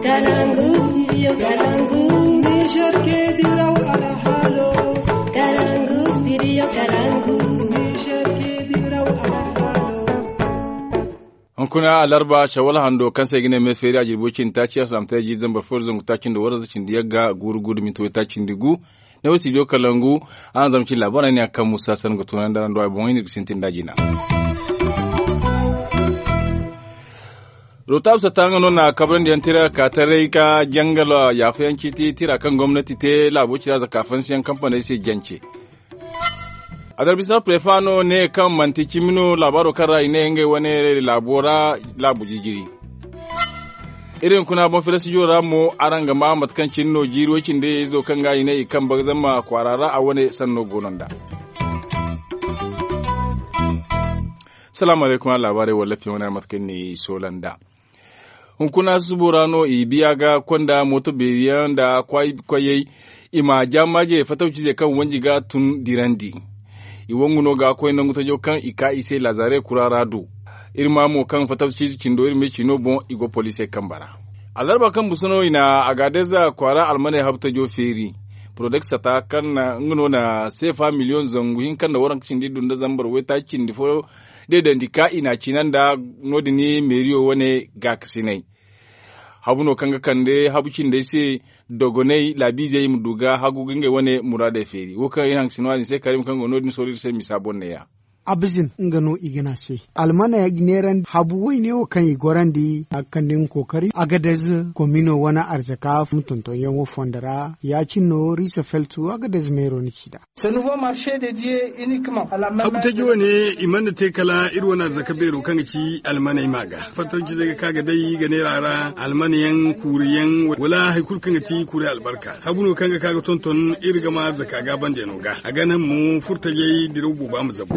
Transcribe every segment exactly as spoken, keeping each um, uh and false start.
Kalangu, studio Kalangu. Niger ke diraw alhalo. Kalangu, studio Kalangu. Niger ke diraw alhalo. Hunkuna alarba shawal hando kaŋ se ay ga ne me feeri a jirbo cindi taaci a salaamtay jiiri zambar fo da zangu taaci nda waranza cindi yagga guuru guuru minti way taaci nda gu. Ne wo studio Kalangu. Araŋ zama cin laabaarey ne a kaŋ musa sanni ga tunandi araŋ do ay boŋey no iri ga sintin da jina. Rotaab satta nga no na kabrandi yaŋ tira ka taray ka jangal yaafa yaŋ ciiti tira kaŋ gomnati te laabo cira zaka fansi yaŋ kampaney se jance. Adarbisa prefa no ne kaŋ manti cimi no laabaaro kaŋ ra i ne ngey wane laabo ra laabu jijiri. Iri hunkuna boŋ fere studio ra mo araŋ ga ma mate kaŋ cine no jiiri way cindi izo kaŋ ga i ne i kaŋ bagzama kwaara ra a wane sanno goono nda. Salaamu alaykum araŋ laabaarey walla fiyaŋ wane mate kaŋ ni soola nda. Hunkuna susubo ra no i biya ga konda mooto beeri yaŋ nda kwaayey i ma jaamaaje fatawcize kaŋ wanji ga tun dirandi. I wangu no ga koy nangu tajo kaŋ i ka i se laazare kura ra do. Iri ma mo kaŋ fatawcize cindo iri me ciino boŋ i go poliisey kambe ra. Alarba kaŋ busa no i na agaadeza kwaara almaney habu tajo feeri. Porodek sata kaŋ na nga no na seefa miliyoŋ zangu hinka nda waranka cindi iddu nda zambar waytaaci cindi fo deedandi ka i na a ciina nda no- din meeriyo wane gaakasinay. Habu no kaŋ ga kande habu cindey se dogonay laabiizey i ma du ga hagu ga ngey wane muraadey feeri wo kaŋ iri haŋ ga si no a din se karim kaŋ go no- din sooro iri se misa boŋ neeya. Abzin nga no i ga ne a se almana neerandi habu wayne wo kaŋ i gorandi a ga kande nga kookari agadez komino wane arzaka ma tontonyaŋo fondo ra ya- cine no riisa feltu agadez meero na ci nd'a. Habu taji wane i mana te kala iri wane arzaka beero kaŋ ga ci almaney ma ga fattancizey ga ka ga day ga neera ra almana yaŋ kuuri yaŋ wala hari kulu kaŋ ga ti kuuri albarka habu no kaŋ ga ka ga tonton iri ga ma arzaka gaabandiyaŋo ga a ga naŋ mo furtajey diraw booba ma zabu.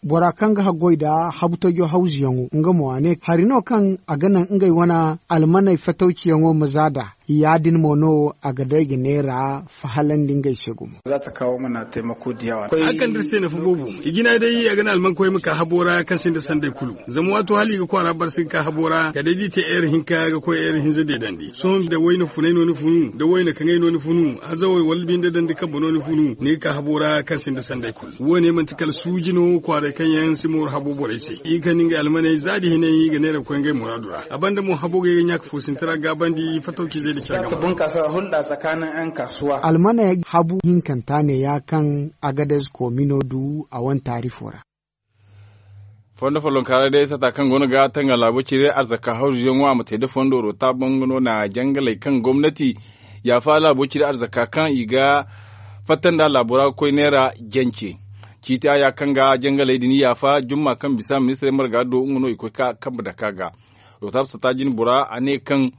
Bora kaŋ ga haggoy nda habu tajo hawzuyaŋo nga mo a ne hari no kaŋ a ga naŋ ngey wane almaney fatawciyaŋo ma za nd'a ya- din mo no a ga day ga neera fahalandi ngey se gumo. A ga kande iri se nafa boobo i jina day a ga naŋ almankoy ma ka habo ra kaŋ sinda sanday kulu zama waato hala i ga kwaara barsi ga ka habo ra kala day da i te eer hinka ga koy eer hinza deedandi sohõ da wayna funay no ni funu da wayna kaŋay no ni funu azawey wala binde dandi kambe no ni funu ni ga ka habo ra kaŋ sinda sanday kulu wo- ne manti kala suuji no kwaaray kaŋ yaŋ si mooru habo borey se i ga kande ngey almaney za da hinay i ga neera ga koy ngey muraadu ra a banda mo habo ga ay ga ɲaaka foosinti ra gaabandi fatawcizey da care game ra. Almaney habu hinkanta ne ya kaŋ agadez koomino du a wane taarifo ra. Fondo follonkaaray day sata kaŋ go no ga tanga laabo cire arzaka hawzuyaŋo a ma te da fondo rota bango no na jangaley kaŋ gomnati yaafa laabo cire arzaka kaŋ i ga fatta nda laabo ra ga koy neera jance. Ciiti a ya kaŋ ga jangaley din yaafa jumma kaŋ bisa ministirey marga do nga no i koy ka kambe dake a ga. Rota sata jine bora a ne kaŋ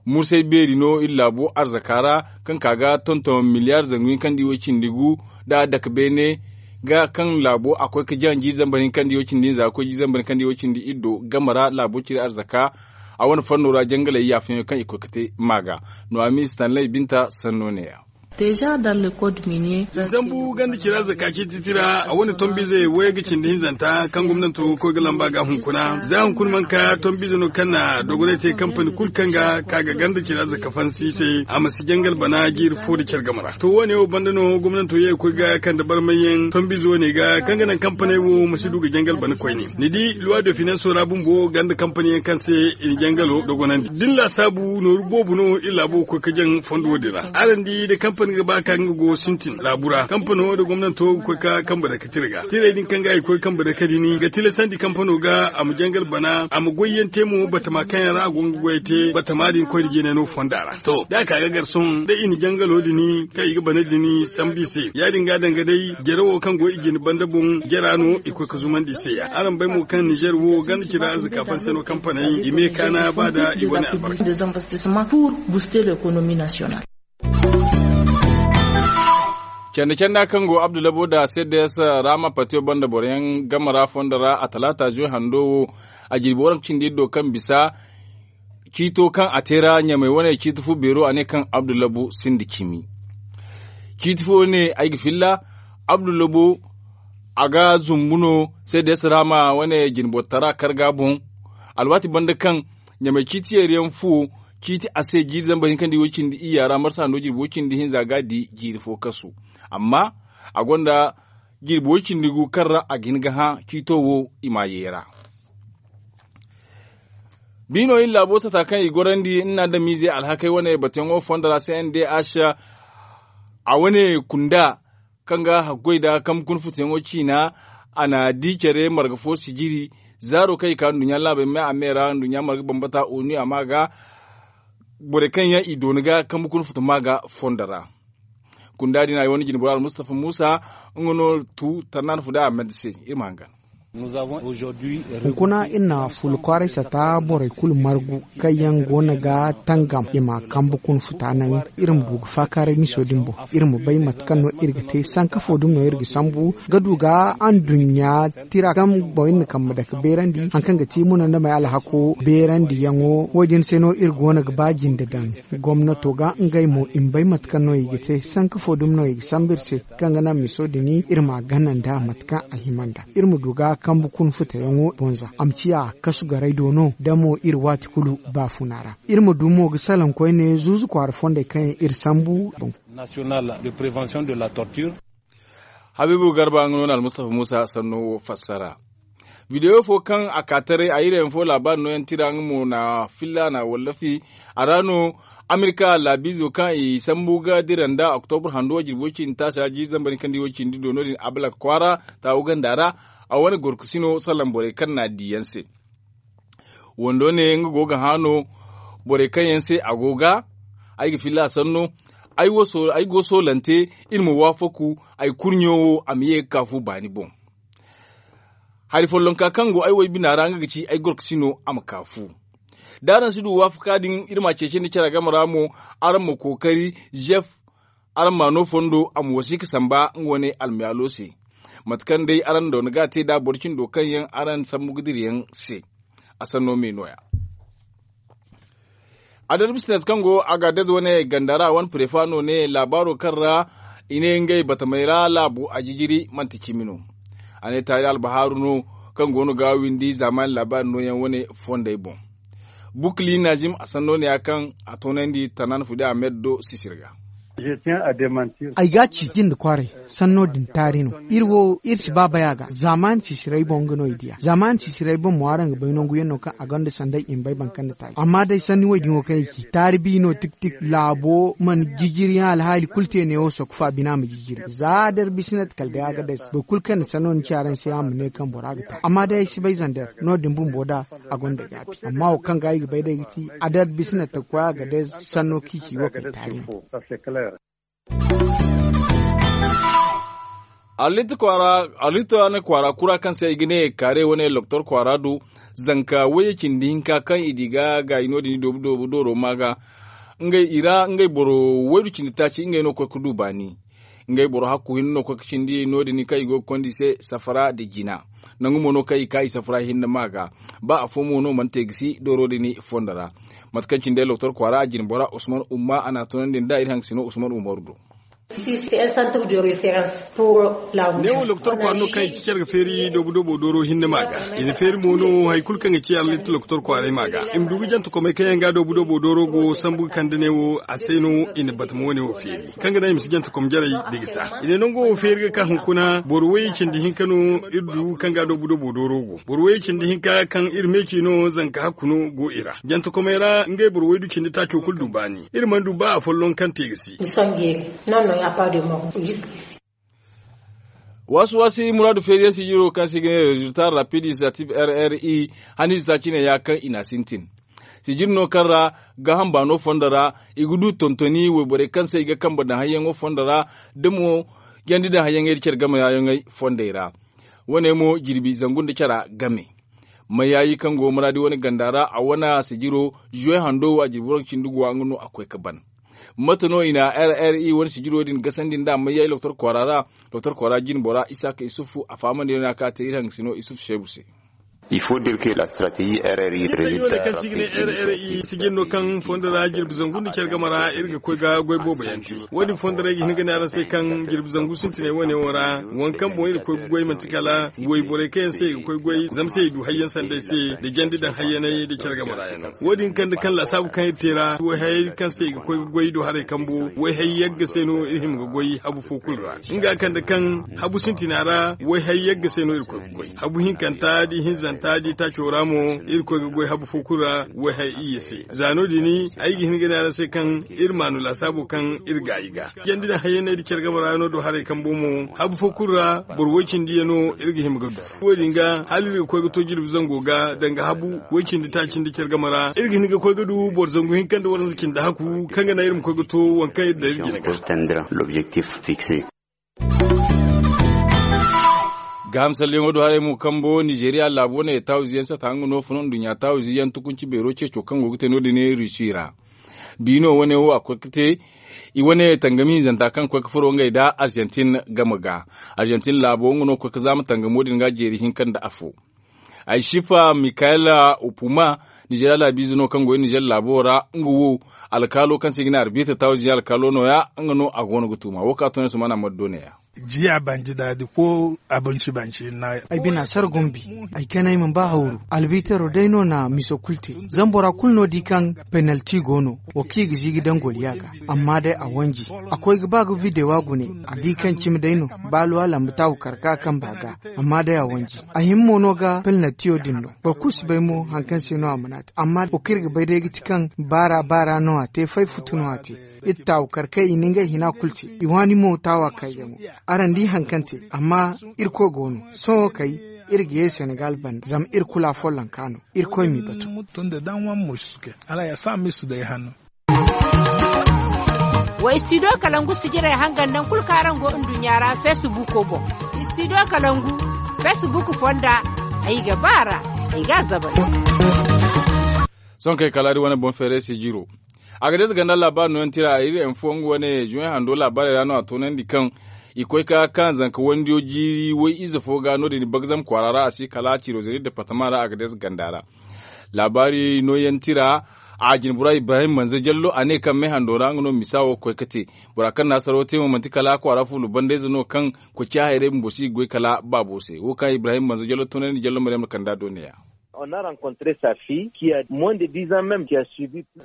mursay beeri no iri laabo arzaka ra kaŋ ka ga tonton miliyaar zangu hinka nda iway cindi gu nda dake beene ga kaŋ laabo a koy ga jaŋ jiiri zambar hinka nda iway cindi hinza ga koy jiiri zambar hinka nda iway cindi iddo game ra laabo cire arzaka a wane fanno ra jangaley yaafeyaŋo kaŋ i koy ga te ma ga. No a ma i stanley binta sanno ne ya. Zambu ganda cira zaka ciiti tira a wane tombize wayga cindi hinzanta kaŋ gomnanto ga koy ga lamba ga hunkuna za hunkuna mana ka tombize no kaŋ na dogonay te kampani kulu kaŋ ga ka ga ganda cira zaka fansi se a ma si jangal bana jiiri fo da care game ra to wo- ne wo banda no gomnanto ye ga koy ga kande barmayyaŋ tombize wo- ne ga kaŋ ga naŋ kampaney wo ma si du ga jangal bana koyne ni di luwa de finanso ra bumbo ganda kampani yaŋ kaŋ se i na jangalo dogonandi da ni laasaabu nooru boobo no iri laabo ga koy ga jaŋ fondo wo- din ra araŋ di da kampani ga ba ka nga go sintin laabu ra kampano da gomnanto ga koy ga kambe dake tira ga tirey din kaŋ ga i ga koy ga kambe dake din ga tilasandi kampano ga a ma jangal bana a ma goyyaŋ te mo batama kaŋ yaŋ ra a go nga goyey te batama din koyne jinay no fonda ra to da a ka ga gar sohõ da i na jangalo din kaŋ i ga bana din sambu i se ya- din ga danga day jare wo kaŋ go i jine banda boŋ jara no i koy ga zumandi i se ya araŋ bay mo kaŋ nizer wo ganda cira arzaka fansi no kampaney i me kaana ba da i wane albarka. Canda canda kaŋ go abdulabo da cds rama patiyo banda boro yaŋ game ra fondo ra a talaata zuwe hando wo a jirbi waranka cindi iddo kaŋ bisa ciito kaŋ a te ra ɲamay wane ciiti fo beero a ne kaŋ abdulabo sinda cimi ciiti fo ne ay ga filla abdulabo a ga zumbu no cds rama wane jinbotara karga boŋ alwaati banda kaŋ ɲamay ciiti yeeriyaŋ fo ciiti a se jiiri zambar hinka nda i way cindi iyya ra marsa hando jirbi way cindi hinza ga a di jiiri fo kasu. Amma a gonda jirbi way cindi gu kaŋ ra a ga hin ga hã ciito wo i m'a yeera. Biino iri laabo sata kaŋ i gorandi nna adamiizey alhakey wane batuyaŋo fondo ra c n d h a wane kunda kaŋ ga hakkoy nda kambe kuna futuyaŋo ciina. A na di care marga fo sijiri zaaro kaŋ i ka nduɲɲa laabey me a me ra nduɲɲa marga bambata onu a ma ga borey kaŋ yaŋ i dooni ga kambe kuna futu ma ga fondo ra. Kunda din a wane jinbora almustafa muusa nga no tu tarnaana fu da a mende se iri ma hangan. Hunkuna iri na fulu kwaaray sata borey kulu margu kaŋ yaŋ go no ga tangam i ma kambe kuna futa naŋ. Iri ma du ga faakaaray miso din boŋ iri ma bay mate kaŋ no iri ga te sanka fo dumi no iri ga sambu ga du ga anduɲɲa tira kaŋ boŋ iri na kambe dake beerandi hari kaŋ ga ti munandamey alhako beerandiyaŋo wo- din se no iri go no ga ba jinde daŋ. Gomnato ga ngey mo i ma bay mate kaŋ no i ga te sanka fo dumi no i ga sambu iri se kaŋ ga naŋ miso din iri ma a gana nda mate kaŋ a hima nda iri ma du ga kambe kuna futayaŋo boŋ za a ma ciya kasu garay do no da mo iri waati kulu baafuna ra. Iri ma du mo ga salaŋ koyne zuuzu kwaara fondey kaŋ yaŋ iri sambu boŋ. Habiibu garba nga no na almustafa muusa sanno wo fassara. Bidewo fo kaŋ a ka taray a iri yaŋ fo laabaari nooyaŋ tira nga mo na filla na wallafi. A ra no amerika laabiizo kaŋ i sambu ga dira nda oktobur hando jirbi way cindi taasi ra jiiri zambar hinka nda i way cindi do no- din abalak kwaara taawu ganda ra. A wane gorkasino salaŋ borey kaŋ na a di yaŋ se. Wando ne nga go ga hã no borey kaŋ yaŋ se a go ga ay ga filla a sanno. Ay go soolante iri ma waafaku ay kurɲo wo a ma ye ga ka fu baani boŋ. Hari follonka kaŋ go ay woy bina ra nga ga ci ay gorkasino a ma ka fu. Da araŋ si du waafaka din iri ma a ceeci nda care game ra mo araŋ ma kookari zef araŋ ma no fondo a ma wasiika samba nga wane almayaalo se. Mate kaŋ day araŋ doona ga a te nd'a boro cindo kaŋ yaŋ araŋ sambu ga dira yaŋ se. A sanno me no- ya. Adar bisnet kaŋ go a ga adez wane ganda ra wane prefa no ne laabaaro kaŋ ra i ne ngey batamey ra laabo a jijiri manti cimi no. A ne taali albahaaru no kaŋ go no ga windi zaamaani laabaari nooyaŋ wane fondey boŋ. Bukli nazim a sanno ne ya kaŋ a toonandi tanan fudi ahmed do sisir ga. Ay ga a ci jinde kwaaray sanno din taari no. Iri wo iri si ba bay a ga zaamaani sisiray boŋ nga no i di a zaamaani sisiray boŋ mo araŋ ga bay nangu yaŋ no kaŋ a gonda sanday i ma bay boro kaŋ na taari amma day sanni wo- din wo kaŋ i ci taari bi no tik tik laabo mana jijiri yaŋ alhaali kulu te neewo sooka fa bina ma jijiri za der bisinat kala day a ga day se boro kulu kaŋ na sanno ni ci araŋ se a ma ne kaŋ bora ga taari amma day ay si bay zander no- din bumbo da a gonda gaabi amma wo kaŋ ga ay ga bay day ga ti a der bisinat ga koy a ga day sanno kaŋ i ci wo kay taari no. Arlit kwaara kura kaŋ se i ga ne kaare wane loktor kwaara do zanka wayye cindi hinka kaŋ i di ga gaayi no- din i doobu doobu dooro ma ga ngey i ra ngey boro waydu cindi taaci ngey no ga koy ga du baani. Ngey boro hakku hinne no ga koy ga cindi no- din kaŋ i go ga konda i se safara nda jina. Nangu mo no kaŋ i ka i safara hinne ma ga ba afo mo no mana te ga si dooro din fondo ra. Mate kaŋ cine loktor kwaara a jine bora usman umma a na a tunandi nd'a iri haŋ ga si no usman umaru do. Neewo loktor kwaara no kaŋ i ci care ga feeri doobu doobo dooro hinne ma ga i na feeri mo no hari kulu kaŋ ga ci arlit loktor kwaaray ma ga i ma du ga jante komey kaŋ yaŋ ga doobu doobo dooro go sambu ga kande neewo a se no i na batama wane wo feeri kaŋ ga naŋ i ma si jante kom jarey da gisa i ne nango wo feeri ga ka hunkuna boro way cindi hinka no iri du kaŋ ga doobu doobo dooro go boro way cindi hinka kaŋ iri meeci no zanka hakku no go i ra jante komey ra ngey boro waydu cindi taaco kulu du baani iri mana du ba afolloŋ kaŋ te ga si. Waasu waasi muraadu feeriyaŋ sijiro kaŋ se i ga ne rezulta rapid initiative r r i haniize taaci ne ya kaŋ i n'a sintin. Sijiri no kaŋ ra gaaham baano fondo ra i ga du tontoni wayborey kaŋ se i ga kambe daŋ hayyaŋo fondo ra da mo jandi daŋ hayyaŋey nda care game ra yaŋey fondey ra. Wane mo jirbi zangu nda cara game. Mayaayi kaŋ go maraadi wane ganda ra a wane sijiro zuwe hando wo a jirbi waranka cindi guwa nga no a koy ga ban. Mate no i na r r i wane sijiro din gasandi nd'a mayaayi loktor kwaara ra. Loktor kwaara jine bora isaaka isufu a fahamandi yaŋ no ya kaŋ a te iri haŋ ga si no isufu seebu se. Il faut dire que la stratégie rri résultat rapide. Sijin no kaŋ fondo ra jirbi zangu nda care game ra iri ga koy ga goy boobo yaŋ te. Wo- din fondo ra ay ga hin ga ne araŋ se kaŋ jirbi zangu sintinay wane wo ra, waŋ kaŋ boŋ iri ga koy ga goy manti kala wayborey kaŋ yaŋ se i ga koy goy zama se i du hayyaŋ sanday se, da jandi daŋ hayyanay da care game ra yaŋ no. Wo- din kande kaŋ laasaabu kaŋ iri te ra wayhayey kaŋ se i ga koy ga goy do haray kambo wayhay yagga se no iri hima ga goy habu fo kulu ra. Nga kande kaŋ habu sintina ra wayhay yagga se no iri koy ga goy habu hinkanta da ihinzanta da itaaco ra mo, iri koy ga goy habu fo kulu ra wayhay iyye se. Za no- din ay ga hin ga ne araŋ se kaŋ iri maanu laasaabo kaŋ iri gaayi ga jandi daŋ hayyanay da care game ra no do haray kambo mo habu fo kulu ra boro way- cindi yaŋ no iri ga hima ga du. Wo- din ga hala iri ga koy ga to jirbi zango ga danga habu way- cindi taaci nda care game ra iri ga hin ga koy ga du boro zangu hinka nda waranza cindi haku kaŋ ga naŋ iri ma koy ga to waŋ kaŋ iri daŋ iri jine ga. Gaaham salleyaŋo do haray mo kambo nizeeriya laabo wane taawizi yaŋ sata nga no funa nduɲɲa taawizi yaŋ tukunci beero ceeco kaŋ go ga te no- din rusi ra. Biino wane wo a koy ga te i wane tangami hinzanta kaŋ koy ga furo ngey nda arjantin game ga. Arjantin laabo nga no koy ga zaama tangamo din ga jeeri hinka nda afo. Ay sifa mikayela upuma, nizeeriya laabiize no kaŋ go nizeeriya laabo ra nga wo alkaalo kaŋ se i ga ne arbita taawizi alkaalo no- ya nga no a go no ga tuuma wo kaŋ a to ne sumana maddo ne- ya. Jiya banji daadi ko abinci banci na ay bina sar gombi. Ay kanay ma ba hawru albitero day no na miso kulu te. Zama bora kulu no di kaŋ penalti go no. Wo kaŋ i ga ziigi daŋ goliya ga amma day a wanji. A koy ga ba ga videwa gune a di kaŋ cimi day no. Baaluwa lambu taawu karka kaŋ ba ga amma day a wanji. A hima mo no ga penaltiyo din no. Boro kulu si bay mo hari kaŋ se no a mana te amma wo kaŋ iri ga bay day ga ti kaŋ baara baara no a te fay futu no a te. Iri taawu karkey i na ngey hina kulu te. I waani mo taawa kayyaŋo. Araŋ di hari kaŋ te amma irkoy go no. Sohõ kay iri ga ye senegal banda zama iri kulu afollonka no. Irkoy m'i batu. Wa istidiyo kalangu sijirey hangan naŋ kulu kaŋ araŋ go nduɲɲa ra fesibuko boŋ. Istidiyo kalangu fesibuko fonda. Ay ga ba a ra ay ga a zabari. Sohõ kay kala iri wane boŋ feeray sijiro. Agadez ganda laabaari nooyaŋ tira iri info nga wane juwaŋ hando laabaarey ra no a toonandi kaŋ i koy ka kaŋ zanka wandiyo jiiri way ize fo ga no- din bagzam kwaara ra a si kala ciro zari departama ra agadez ganda ra. Laabaari nooyaŋ tira a jinbura ibrahim manze jallo a ne kaŋ me hando ra nga no misa wo ga koy ga te. Bora kaŋ na hasaro te mo manti kala kwaara fulu bandayze no kaŋ koy ciya hayray bumbo si ga goy kala baabo se wo kaŋ ibrahim manze jallo toonandi jallo maryam na kanda do ne- ya.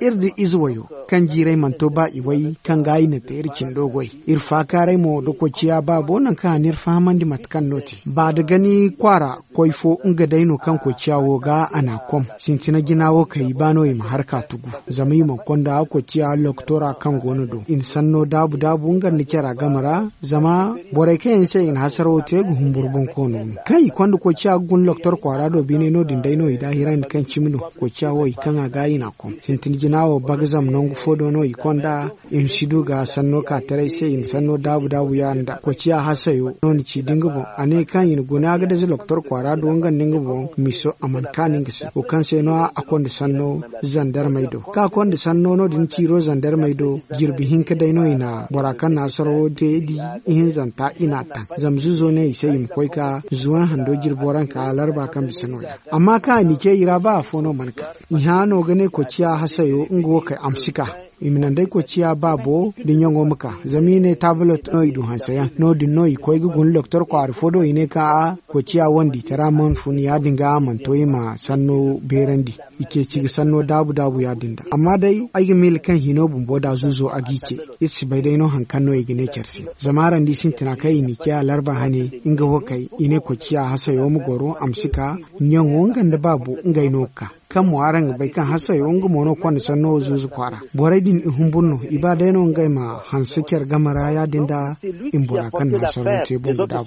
Iri da ize wayo kaŋ jiiray mana to ba iway kaŋ ga i na te iri cindo goy. Iri faakaaray mo da koy ciya baabo nangu kaŋ a n'iri fahamandi mate kaŋ no te ba da gani kwaara koy fo nga day no kaŋ koy ciya wo ga a n'a kom. Sintina jina wo kaŋ i ba no i ma har ka tugu zama i mana konda koy ciya lokotora kaŋ go no do i na sanno daabu daabu nga nda cara game ra. Zama borey kaŋ yaŋ se i na hasarawo te ga humburu boŋ koono no kaŋ i konda koy ciya ga guna lokotor kwaara do biinay no- din day no i daahirandi kaŋ cimi no. Koy ciya wo i kaŋ a ga i n'a kom sintin jina wo bagzam nangu fo do no i konda. I ma si du ga sanno ka taray se i na sanno daabu daabu yaadin da koy ciya hasayo no ni ci da nga boŋ a ne kaŋ i na guna ga daza lokotor kwaara do nga nda nga boŋ miso a mana kaanu nga se wo kaŋ se no a konda sanno zandarmey do kaŋ a konda sanno no- din ciiro zandarmey do. Jirbi hinka day no i na bora kaŋ na hasarawo te di ihinzanta i n'a taŋ. Zama zuzo ne i se i ma koy ka zuwan hando jirbo ra nka larba kaŋ bisa no- ya amma kaŋ a n'i ce i ra ba afo no mana ka i hã no ga ne koy ciya hasayo nga wo kay a ma si ka. I ma naŋ day koy ciya baabo da ɲaŋo ma ka zama i ne taabulot no i du hanseyaŋ no- din no i koy ga guna lokotor kwaara fo do i ne kaŋ a koy ciya wandi tara mana fun yaadin ga a mana to i ma sanno beerandi. I ceeci ga sanno daabu daabu yaadin da amma day ay ga miila kaŋ hino bumbo da zuzo a g'i ce. Iri si bay day no hari kaŋ no i ga ne care se zama araŋ di sintina kaŋ i n'i ce alarba hane nga wo kay i ne koy ciya hasayo ma goro a ma si ka ɲaŋo nga nda baabo ngey no ga ka kaŋ mo araŋ ga bay kaŋ hasayo nga mo no konda sanno wo zuuzu kwaara. Borey din i humburu no i ba day no ngey ma hanse care game ra yaadin da i ma bora kaŋ na hasaro te bumbo daabu.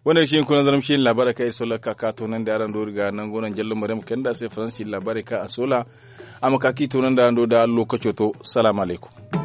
Wane ga si hin kuna zarma si hin laabaarey kaŋ iri sola ga ka ka toonandi araŋ do iri ga nango naŋ jallo maryam kayna nda a se faransa si hin laabaarey kaŋ a sola. A ma ka ka i toonandi araŋ do da lokaco to. Salaamu alaykum.